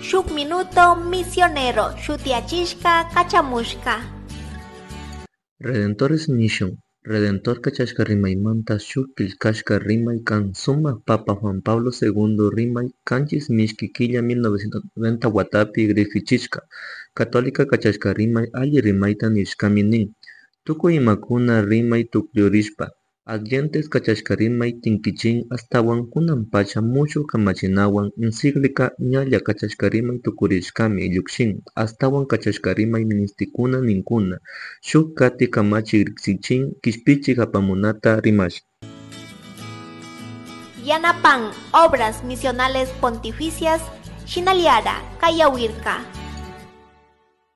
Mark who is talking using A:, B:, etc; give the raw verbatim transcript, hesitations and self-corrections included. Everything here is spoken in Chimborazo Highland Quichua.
A: Shuk Minuto Misionero shutiyachishka kachamushka.
B: Redemptoris Mission, Redentor kachashka rimaymanta shuk killkashka rimay kan sumak Papa Juan Pablo Segundo rimay kanchis mishki killa mil novecientos noventa watapi riksichishka Católica kachashka rimay alli rimayta nishkami nin tukuy imakuna rimay tukllurishpa Adyentes kachashka rimay tinkichin ashtawan kunan pacha mushuk kamachinawan encíclica ñalla kachashka rimay tukurishkami llukshin ashtawan kachashka rimay ministikuna ninkuna shuk kati kamachi riksichin kishpichik apamunata rimash.
A: Yanapan Obras Misionales Pontificias Shinaliara Kayawirka.